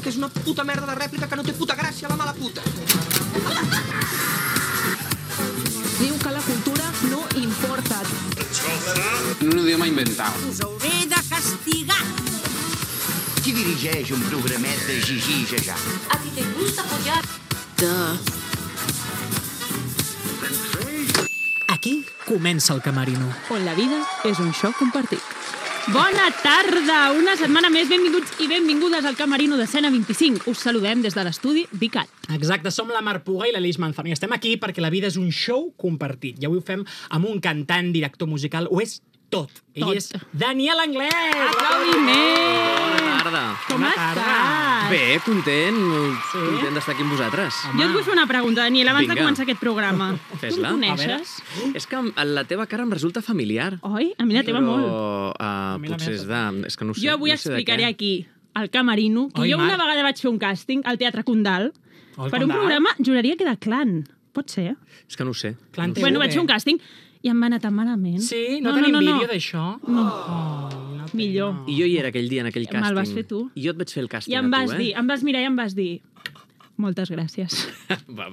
que és una puta merda de rèplica que no té puta gràcia, la mala puta. Diu que la cultura no importa. En un idioma inventado. Us hauré de castigar. Qui dirigeix un programet de Gigi i Jajà? ¿A ti te gusta apoyar? Aquí comença el Camerino. On la vida és un show compartit. Bona tarda! Una setmana més, benvinguts i benvingudes al Camerino d'Escena 25. Us saludem des de l'estudi Vicat. Exacte, som la Mar Puga i l'Aleix Manzano i estem aquí perquè la vida és un show compartit. I avui ho fem amb un cantant, director musical, ho és tot. Ell és Daniel Anglès! Aplaudiments! Bona tarda. Com estàs? Bé, content d'estar aquí amb vosaltres. Jo et vull fer una pregunta, Daniel, abans de Vinga. començar aquest programa. Tu Fes-la. em coneixes? És que la teva cara em resulta familiar. Oi? A mi la teva molt. Però potser és de... És que no ho sé. Jo avui no sé de explicaré què. aquí, al Camerino, que Oi, jo una Marc? vegada vaig fer un càsting al Teatre Condal Al per un Condal? programa, juraria que de Clan. Pot ser? És que no ho sé. Clan TV. Bueno, vaig fer un càsting i em va anar tan malament. Sí? No tenim vídeo d'això? No. Oh, Millor. I jo hi era aquell dia, en aquell càsting. Me'l vas fer tu. I jo et vaig fer el càsting I em vas a tu, dir, em vas mirar i em vas dir moltes gràcies.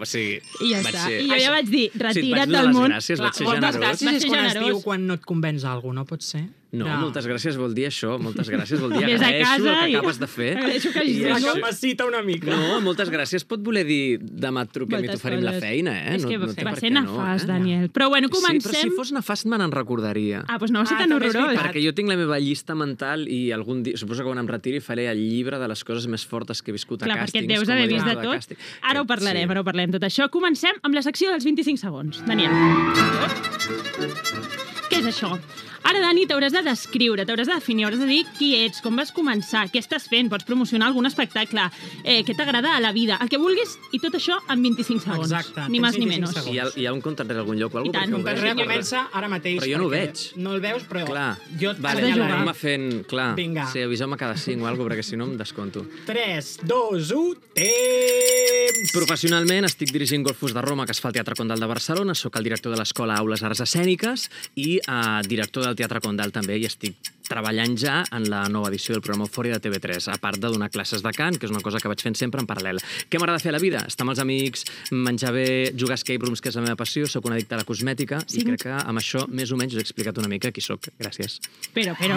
Sí, I ja vaig està. ser- I jo ja vaig dir, Sí, et vaig retira't donar del les món. gràcies, vaig ser Moltes generós. gràcies Va és ser quan es generós. diu quan no et convenç algú, no pot ser? No, moltes gràcies vol dir això. Moltes gràcies vol dir Vés a agraeixo casa el que i- acabes de fer. Agraeixo que hagis I dit, això- no? Capacita una mica. No, moltes gràcies pot voler dir demà et truquem i Moltes t'oferim la coses. feina, eh? És que no té va per ser què no, nefast, Daniel. Però bueno, Sí, però comencem. si fos nefast me n'en recordaria. Ah, doncs no va ser Ah, tan també és horrorós. veritat. Perquè jo tinc la meva llista mental i algun dia, suposo que quan em retiri faré el llibre de les coses més fortes que he viscut Clar, a perquè càstings. et deus com a haver vist de director tot. càsting. Ara ho parlarem, ara ho parlarem tot això. Comencem amb la secció dels 25 segons. Daniel. Què és això? Ara, Dani, t'hauràs de descriure, t'hauràs de definir, hauràs de dir qui ets, com vas començar, què estàs fent, pots promocionar algun espectacle, què t'agrada a la vida, el que vulguis, i tot això en 25 segons. Exacte, Ni tens més ni 25 menys. segons. Hi ha un compte enrere algun lloc o I alguna tant. cosa? Un carrer comença ara mateix. Però jo no ho perquè veig. No el veus, però Clar, jo et vale, de jugar. aneu-me fent... Clar, Vinga. sí, aviseu-me cada 5 o alguna cosa, perquè si no em desconto. 3, 2, 1, temps! Professionalment estic dirigint Golfos de Roma, que es fa al Teatre Condal de Barcelona. Soc el director de l'Escola Aules Arts Escèniques i director del Teatre Condal també, i estic treballant ja en la nova edició del programa Eufòria de TV3, a part de donar classes de cant, que és una cosa que vaig fent sempre en paral·lel. Què m'agrada fer a la vida? Estar amb els amics, menjar bé, jugar a escape rooms, que és la meva passió, soc un addicte a la cosmètica, i crec que amb això més o menys us he explicat una mica qui sóc. Gràcies. Però, què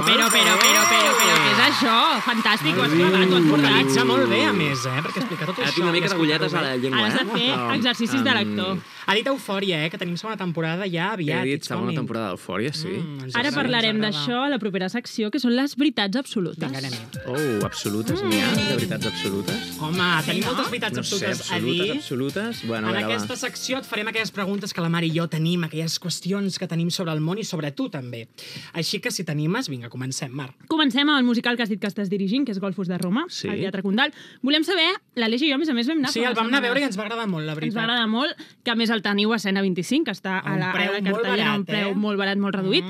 és això? Fantàstic, ho has clavat, ho has Vocalitza portat. molt bé, a més, perquè explica tot Ara això. tinc una mica i d'agulletes a explicar-ho la bé. llengua, Has de fer Però, exercicis de lector. Ha dit Eufòria, que tenim segona temporada ja aviat. He dit It's segona coming. temporada d'Eufòria, sí. Ens Ara agrada, parlarem ens agrada. d'això a la propera secció, que són les veritats absolutes. Vinga, anem-hi. Oh, absolutes, n'hi ha? De veritats absolutes? Home, tenim moltes veritats No sé, absolutes a dir. absolutes. Bueno, En a veure, aquesta secció et farem aquelles preguntes que la Mari i jo tenim, aquelles qüestions que tenim sobre el món i sobre tu, també. Així que, si t'animes, vinga, comencem, Mar. Comencem amb el musical que has dit que estàs dirigint, que és Golfos de Roma, Sí. al Teatre Condal. Volem saber, l'Aleix i jo, a més vam anar... Sí, fa el unes vam anar a veure i setmanes. ens va agradar molt, la Ens veritat. va agradar molt, que a més el teniu a Escena 25, que està A un a preu la molt cartellera, a un barat, preu eh? molt barat, molt reduït.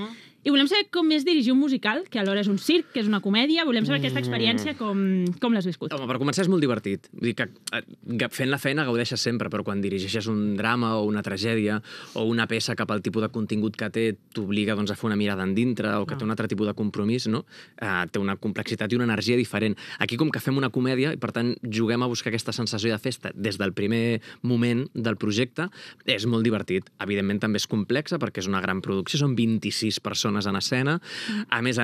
I volem saber com és dirigir un musical, que alhora és un circ, que és una comèdia. Volem saber aquesta experiència, com l'has viscut. Home, per començar és molt divertit. Vull dir que fent la feina gaudeixes sempre, però quan dirigeixes un drama o una tragèdia o una peça que pel tipus de contingut que té t'obliga doncs, a fer una mirada endintre o que té un altre tipus de compromís, no? Té una complexitat i una energia diferent. Aquí, com que fem una comèdia i, per tant, juguem a buscar aquesta sensació de festa des del primer moment del projecte, és molt divertit. Evidentment, també és complexa perquè és una gran producció, són 26 persones en escena. A més,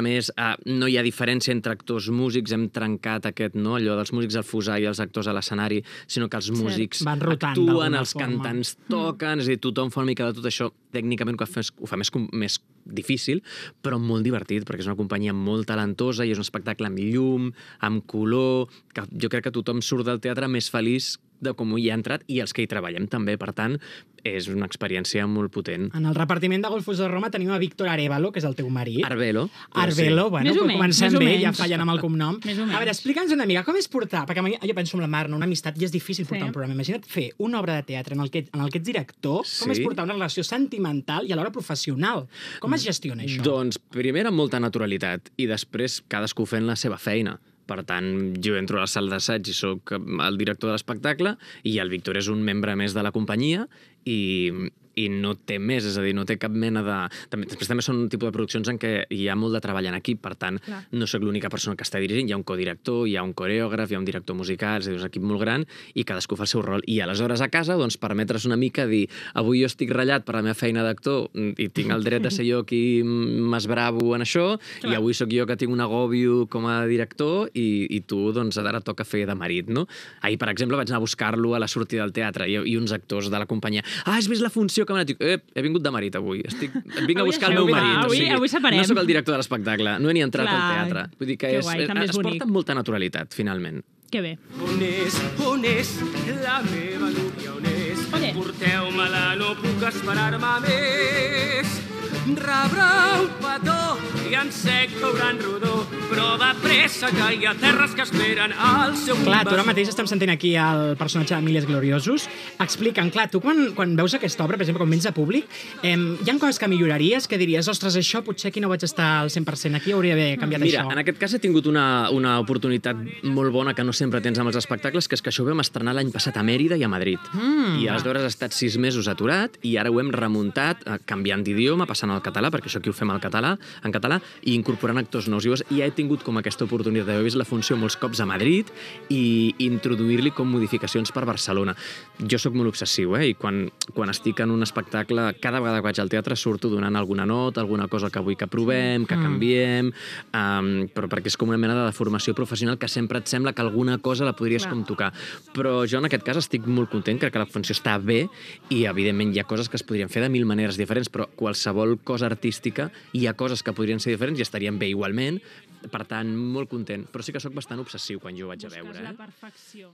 no hi ha diferència entre actors músics, hem trencat aquest, no? Allò dels músics al fusar i els actors a l'escenari, sinó que els músics Van rotant actuen, d'alguna els forma. cantants toquen, és a dir, tothom fa una mica de tot això. Tècnicament ho fa més difícil, però molt divertit, perquè és una companyia molt talentosa i és un espectacle amb llum, amb color, que jo crec que tothom surt del teatre més feliç de com hi ha entrat i els que hi treballem també. Per tant, és una experiència molt potent. En el repartiment de Golfos de Roma tenim a Víctor Arevalo, que és el teu marit. Arbelo. Arbelo, bueno, Més o però menys, comencem més o bé, menys. ja fallen amb el cognom. Més o menys. A veure, explica'ns una mica, com és portar, perquè a mi, jo penso en la Mar, no? Una amistat, i és difícil portar un programa. Imagina't fer una obra de teatre en el que ets director, com és Sí. portar una relació sentimental i alhora professional. Com es gestiona això? Doncs, primer, amb molta naturalitat, i després cadascú fent la seva feina. Per tant, jo entro a la sala d'assaig i sóc el director de l'espectacle i el Víctor és un membre més de la companyia i i no té més, és a dir, no té cap mena de... Després també són un tipus de produccions en què hi ha molt de treball en equip, per tant, no sóc l'única persona que està dirigint, hi ha un codirector, hi ha un coreògraf, hi ha un director musical, és a dir, és un equip molt gran i cadascú fa el seu rol. I aleshores a casa, doncs, permetre's una mica dir avui jo estic ratllat per la meva feina d'actor i tinc el dret de ser jo qui m'esbravo en això, i avui sóc jo que tinc un agòbio com a director i tu, doncs, ara toca fer de marit, no? Ahir, per exemple, vaig anar a buscar-lo a la sortida del teatre i uns actors de la companyia. Has vist la funció que m'ha anat? He vingut de marit avui. Vinc a buscar el meu marit. Avui separem. No sóc el director de l'espectacle, no he ni entrat al teatre. Vull dir que es porta amb molta naturalitat, finalment. Que bé. On és la meva núvia, on és? Ole. Porteu-me-la, no puc esperar-me més. Rebrà un petó i en sec veuran rodó, però de pressa que hi ha terres que esperen al seu Clar, tu ara invasor. mateix estem sentint aquí el personatge d'Emílies Gloriosos. Explica'm, clar, tu quan veus aquesta obra, per exemple, quan vens a públic, hi ha coses que milloraries, que diries, ostres, això potser aquí no vaig estar al 100%, aquí hauria d'haver canviat Mira, això. en aquest cas he tingut una oportunitat molt bona que no sempre tens amb els espectacles, que és que això ho vam estrenar l'any passat a Mèrida i a Madrid. I aleshores ha estat 6 mesos aturat i ara ho hem remuntat, canviant d'idioma, passant al català, perquè això aquí ho fem en català, i incorporant actors nous. Llavors ja he tingut com aquesta oportunitat d'haver vist la funció molts cops a Madrid i introduir-li com modificacions per Barcelona. Jo sóc molt obsessiu, i quan estic en un espectacle, cada vegada que vaig al teatre surto donant alguna nota, alguna cosa que vull que provem, que canviem, però perquè és com una mena de formació professional que sempre et sembla que alguna cosa la podries com tocar. Però jo en aquest cas estic molt content, crec que la funció està bé i evidentment hi ha coses que es podrien fer de 1000 maneres diferents, però qualsevol cosa artística hi ha coses que podrien ser diferents i estarien bé igualment, per tant, molt content. Però sí que sóc bastant obsessiu quan jo ho vaig a veure. Busques la perfecció.